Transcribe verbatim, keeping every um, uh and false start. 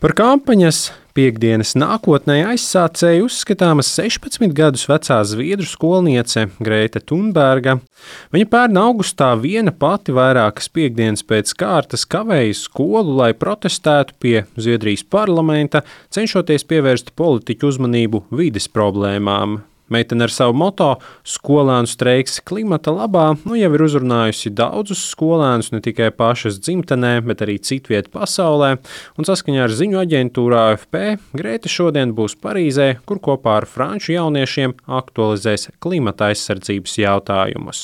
Par kampaņas Piektdienas nākotnē aizsācēju uzskatāma sešpadsmit gadus vecā zviedru skolniece Grēte Thunberga. Viņa pērn augustā viena pati vairākas piektdienas pēc kārtas kavēja skolu, lai protestētu pie Zviedrijas parlamenta, cenšoties pievērst politiķu uzmanību vides problēmām. Meitene ar savu moto "Skolēnu streiks klimata labā" nu jau ir uzrunājusi daudzus skolēnus ne tikai pašas dzimtenē, bet arī citviet pasaulē, un saskaņā ar ziņu aģentūru A F P Grēte šodien būs Parīzē, kur kopā ar franču jauniešiem aktualizēs klimata aizsardzības jautājumus.